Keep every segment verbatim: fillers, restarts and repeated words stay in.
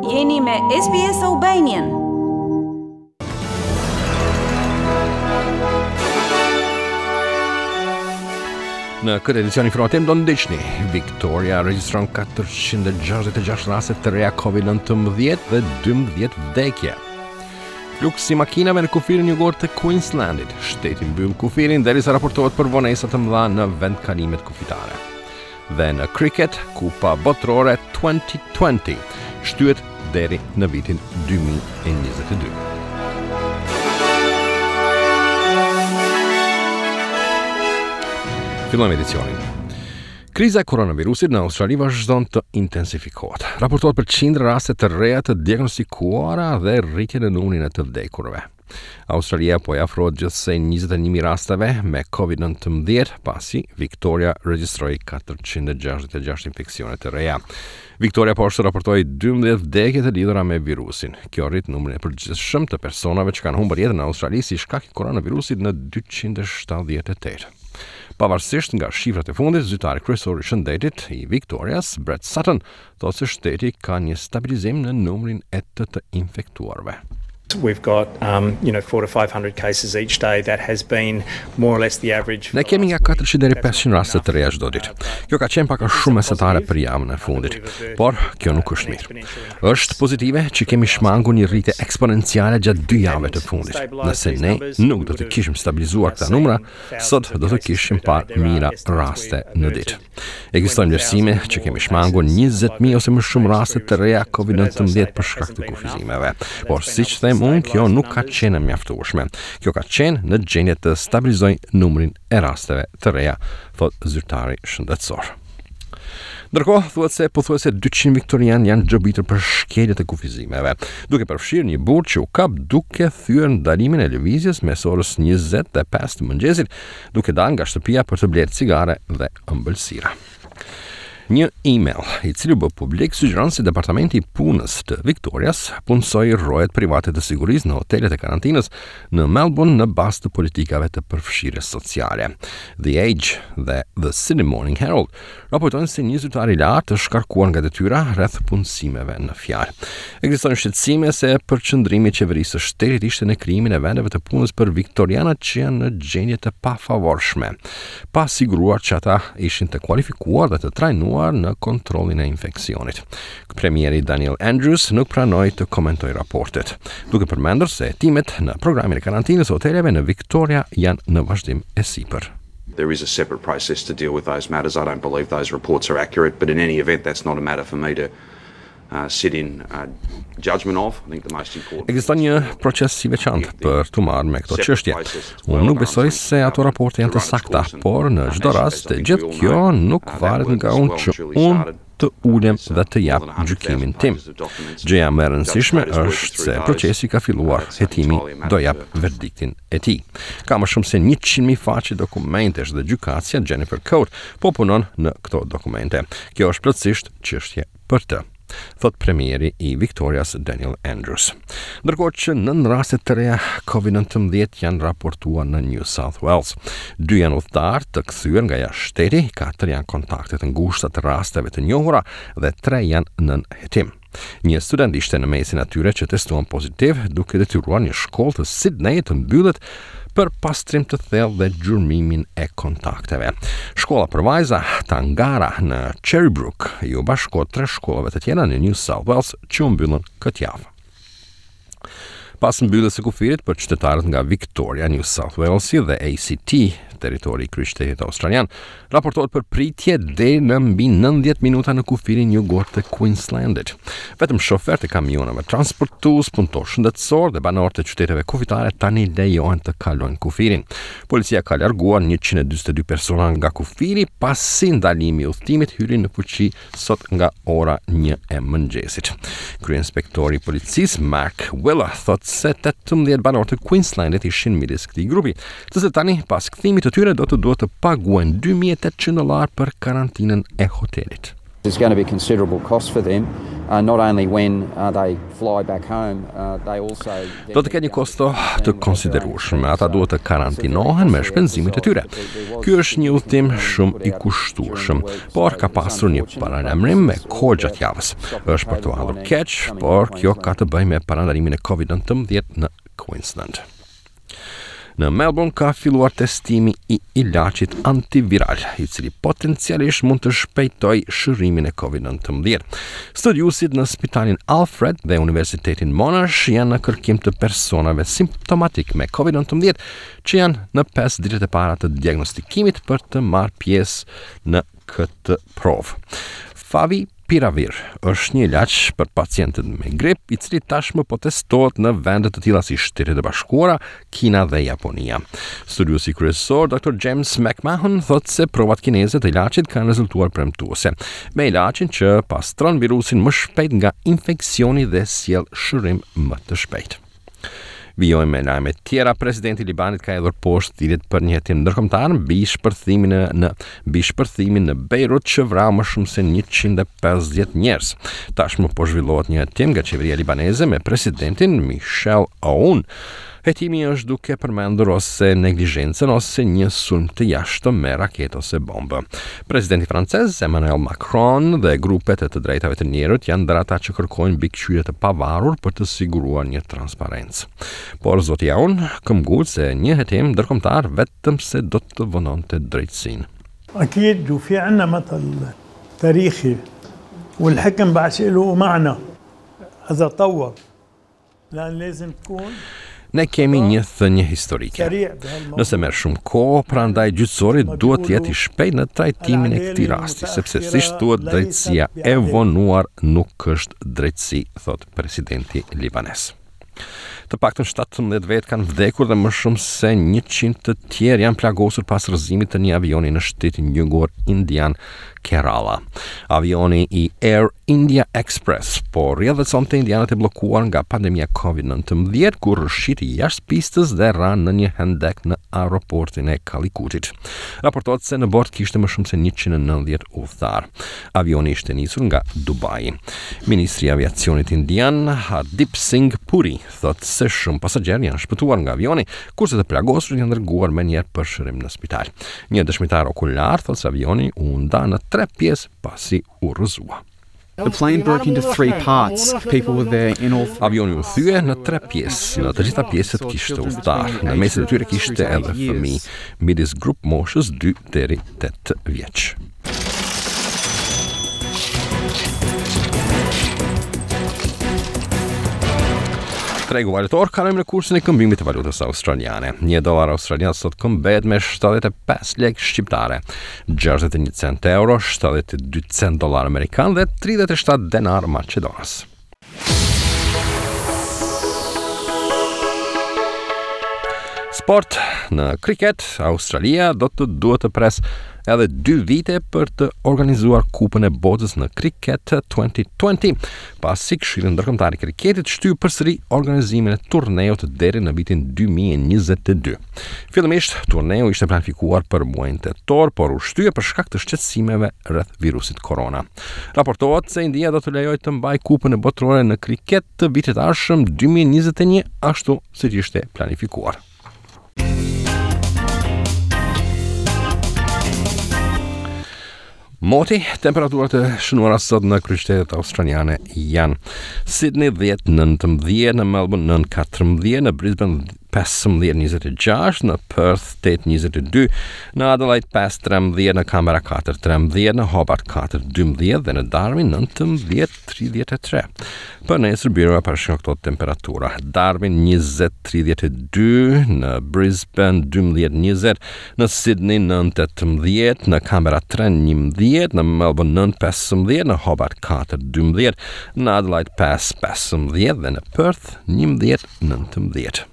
Jeni me S B S Albanian. Në këtë edicion informativ do ndiqni: Victoria regjistron katërqind e gjashtëdhjetë e gjashtë raste të reja COVID nëntëmbëdhjetë dhe dymbëdhjetë vdekje. Fluksi i makinave në kufirin jugor të Queenslandit, shteti mbyll kufirin derisa raportohet për vonesa të mëdha në vendkalimet kufitare. Dhe në cricket, Kupa Botërore dy mijë e njëzet shtyhet deri në vitin dy mijë e njëzet e dy. Fillojmë edicionin. Kriza e koronavirusit në Australi vazhdon të intensifikohet. Raportohet për qindra raste të reja të diagnostikuara dhe rritje në numrin e të vdekurve. Australia po i afrohet gjithsej njëzet e një mijë rasteve me COVID nëntëmbëdhjetë, pasi Victoria regjistroi katërqind e gjashtëdhjetë e gjashtë infeksione të reja. Victoria po ashtu raportoi dymbëdhjetë vdekje të lidhura me virusin. Kjo rrit numrin e përgjithshëm të personave që kanë humbur jetën në Australi si shkak i koronavirusit në dyqind e shtatëdhjetë e tetë. Pavarësisht nga shifrat e fundit, zyrtari kryesor i shëndetit i Victorias, Brett Sutton, thotë se shteti ka një stabilizim në numrin e të të infektuarve. We've got, um, you know, four to five hundred cases each day. That has been more or less the average. Ne kemi nga katërqind deri pesëqind raste të reja çdo ditë. Kjo ka qenë pak a shumë mesatare për javën e fundit, por kjo nuk është mirë. Është pozitive që kemi shmangur një rritje eksponenciale gjatë dy javëve të fundit. Nëse ne nuk do të kishim stabilizuar këta numra, sot do të kishim parë mijëra raste në ditë. Ekzistojnë vlerësime që kemi shmangur njëzet mijë ose më shumë raste të reja COVID nëntëmbëdhjetë për shkak të kufizimeve. Por siç them unë, kjo nuk ka qenë e mjaftueshme. Kjo ka qenë në gjendje të stabilizojë numrin e rasteve të reja, thot zyrtari shëndetësor. Ndërkohë, thuhet se pothuajse dyqind viktorian janë gjobitur për shkelje të kufizimeve, duke përfshirë një burrë që u kap duke thyer ndalimin e lëvizjes mes orës njëzet dhe pesë të mëngjesit, duke dalë nga shtëpia për të blerë cigare dhe ëmbëlsira. Një email i cili u bë publik sugjeron se Departamenti i Punës të Victorias punësoi rojet private të sigurisë në hotelet e karantinës në Melbourne në bazë të politikave të përfshirjes sociale. The Age dhe The Sydney Morning Herald raportojnë se një zyrtar i lartë është shkarkuar nga detyra rreth punësimeve në fjalë. Ekzistojnë shqetësime se përqendrimi i qeverisë së shtetit ishte në krijimin e vendeve të punës për viktorianët që janë në gjendje të pafavorshme, pa siguruar që ata ishin të kualifikuar dhe të trajnuar në kontrollin e infeksionit. Premieri Daniel Andrews nuk pranoi të komentojë raportet, duke përmendur se hetimet në programin e karantinës së hoteleve në Victoria janë në vazhdim e sipër. There is a separate process to deal with those matters. I don't believe those reports are accurate, but in any event, that's not a matter for me to uh, sit in uh, judgment of. I think the most important. Ekziston një proces i veçantë për të marrë me këto çështje. Unë nuk besoj se ato raporte janë të sakta, por në çdo rast gjithë kjo nuk varet nga unë që unë të ulem dhe të jap gjykimin tim. Gjëja më e rëndësishme është se procesi ka filluar, hetimi do jap verdiktin e tij. Ka më shumë se njëqind mijë faqe dokumentesh dhe gjykatësja Jennifer Coate po punon në këto dokumente. Kjo është plotësisht çështje për të, thot premieri i Victorias Daniel Andrews. Ndërkohë që nëntë raste të reja COVID nëntëmbëdhjetë janë raportuar në New South Wales. Dy janë udhëtar të kthyer nga jashtë shteti, katër janë kontakte të ngushta të rasteve të njohura dhe tre janë nën hetim. Një student ishte në mesin atyre që testuan pozitiv, duke detyruar një shkollë të Sydney të mbyllet për pastrim të thellë dhe gjurmimin e kontakteve. Shkolla për vajza Tangara në Cherrybrook iu bashkohet tre shkollave të tjera në New South Wales që u mbyllën këtë javë. Pas mbylljes së kufirit për qytetarët nga Victoria, New South Walesi dhe A C T, territori i kryeqytetit australian, raportohet për pritje deri në mbi nëntëdhjetë minuta në kufirin jugor të Queenslandit. Vetëm shoferët e kamionëve transportues, punëtorë shëndetësor dhe banorë të qyteteve kufitare tani lejohen të kalojnë kufirin. Policia ka larguar njëqind e dyzet e dy persona nga kufiri pasi ndalimi i udhëtimit hyri në fuqi sot nga ora një e mëngjesit. Kryeinspektori i policisë Mark Wheeler thotë se tetëmbëdhjetë banorë të Queenslandit ishin midis këtij grupi, të cilët tani pas kthimit të tyre do të duhet të paguajnë dy mijë e tetëqind dollar për karantinën e hotelit. There's going to be considerable cost for them, uh, not only when uh, they fly back home, uh, they also Do të ketë një kosto të konsiderueshme. Ata duhet të karantinohen me shpenzimet e tyre. Ky është një udhtim shumë i kushtueshëm, por ka pasur një paralajmërim me kohë gjatë javës. Është për të ardhur keq, por kjo ka të bëjë me parandalimin e Covid nëntëmbëdhjetë në Queensland. Në Melbourne ka filluar testimi i ilaçit antiviral, i cili potencialisht mund të shpejtojë shërimin e Covid nëntëmbëdhjetë. Studiuesit në spitalin Alfred dhe Universitetin Monash janë në kërkim të personave simptomatik me Covid nëntëmbëdhjetë që janë në pesë ditët e para të diagnostikimit për të marrë pjesë në këtë provë. Favipiravir është një ilaç për pacientët me grip, i cili tashmë po testohet në vende të tilla si Shtetet e Bashkuara, Kina dhe Japonia. Studiuesi kryesor doktor James McMahon thotë se provat kineze të ilaçit kanë rezultuar premtuese, me ilaçin që pastron virusin më shpejt nga infeksioni dhe sjell shërim më të shpejtë. Vijojmë me lajme tjera. Presidenti i Libanit ka hedhur poshtë thirrjet për një hetim ndërkombëtar mbi shpërthimin në, në mbi shpërthimin në Beirut që vrau më shumë se njëqind e pesëdhjetë njerëz. Tashmë po zhvillohet një hetim nga qeveria libaneze me presidentin Michel Aoun. Hetimi është duke përmendur ose neglizhencën ose një sulm të jashtëm me raketë ose bombë. Presidenti francez Emmanuel Macron dhe grupet e të drejtave të njerëzit janë ndër ata që kërkojnë mbikëqyrje të pavarur për të siguruar një transparencë. Por zoti Aoun këmbgul se një hetim ndërkombëtar vetëm se do të vononte drejtësinë. أكيد وفي عنا مثل تاريخي والحكم بعد شيء له معنى إذا طور لأن لازم تكون Ne kemi një thënie historike. Nëse merr shumë kohë, prandaj gjyqësori duhet të jetë i shpejtë në trajtimin e këtij rasti, sepse siç thuhet, drejtësia e vonuar nuk është drejtësi, thot presidenti libanez. Të paktën shtatëmbëdhjetë vetë kanë vdekur dhe më shumë se njëqind të tjerë janë plagosur pas rrëzimit të një avioni në shtetin jugor indian Kerala. Avioni i Air India Express po rrjedhësonte indianët e bllokuar nga pandemia Covid nëntëmbëdhjetë kur rrëshqiti jashtë pistës dhe ra në një hendek në aeroportin e Kalikutit. Raportohet se në bord kishte më shumë se njëqind e nëntëdhjetë udhëtar. Avioni ishte nisur nga Dubai. Ministri i Aviacionit Indian Hardeep Singh Puri thotë se shumë pasagjerë janë shpëtuar nga avioni, kurse të plagosur janë dërguar menjëherë për shërim në spital. Një dëshmitar okular thotë se avioni u nda në tre pjesë pasi u rrëzua. The plane broke into three parts. People were there in all three. Avioni u thye në tre pjesë. Në të gjitha pjesët kishte udhëtar. Në mesin e tyre kishte edhe fëmijë midis grup moshës dy deri tetë vjeç. Tregu valutor kalojmë në kursin e këmbimit të valutës australiane. Një dollar australian sot këmbehet me shtatëdhjetë e pesë lekë shqiptare, gjashtëdhjetë e një cent euro, shtatëdhjetë e dy cent dollar amerikan dhe tridhjetë e shtatë denar maqedonas. Sport. Në kriket, Australia do të duhet të pres edhe dy vite për të organizuar Kupën e Botës në Kriket twenty twenty, pasi Këshilli Ndërkombëtar i Kriketit shtyu përsëri organizimin e turneut deri në vitin dy mijë e njëzet e dy. Fillimisht, turneu ishte planifikuar për muajin tetor, por u shtye për shkak të shqetësimeve rreth virusit korona. Raportohet se India do të lejojë të mbajë Kupën e Botërore në kriket të vitit të ardhshëm dy mijë e njëzet e një, ashtu siç ishte planifikuar. Moti, temperaturat e shënuara sot në kryeqytetet australiane janë Sydney dhjetë nëntëmbëdhjetë, në Melbourne nëntë katërmbëdhjetë, në Brisbane pesëmbëdhjetë njëzet e gjashtë, në Perth tetë njëzet e dy, në Adelaide pesë trembëdhjetë, në Canberra katër trembëdhjetë, në Hobart katër dymbëdhjetë dhe në Darwin nëntëmbëdhjetë tridhjetë e tre. Për nesër byroja parashikon këto temperatura: Darwin njëzet tridhjetë e dy, në Brisbane dymbëdhjetë njëzet, në Sydney nëntë tetëmbëdhjetë, në Canberra tre njëmbëdhjetë, në Melbourne nëntë pesëmbëdhjetë, në Hobart katër dymbëdhjetë, në Adelaide pesë pesëmbëdhjetë dhe në Perth njëmbëdhjetë nëntëmbëdhjetë.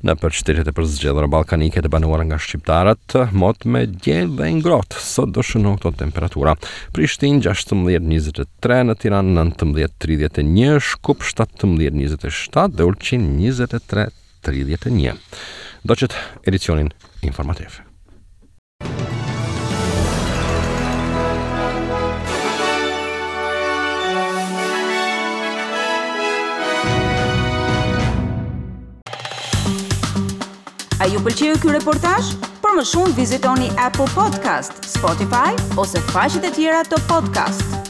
Në për qytetet e përzgjedhura ballkanike të banuara nga shqiptarët, mot me diell dhe ngrohtë. Sot do shënohen këto temperatura: Prishtinë gjashtëmbëdhjetë njëzet e tre, në Tiranë nëntëmbëdhjetë tridhjetë e një, Shkup shtatëmbëdhjetë njëzet e shtatë dhe Ulqin njëzet e tre tridhjetë e një. Ndoqët edicionin informativ. A ju pëlqeu ky reportazh? Për më shumë vizitoni Apple Podcast, Spotify ose faqet e tjera të podcast.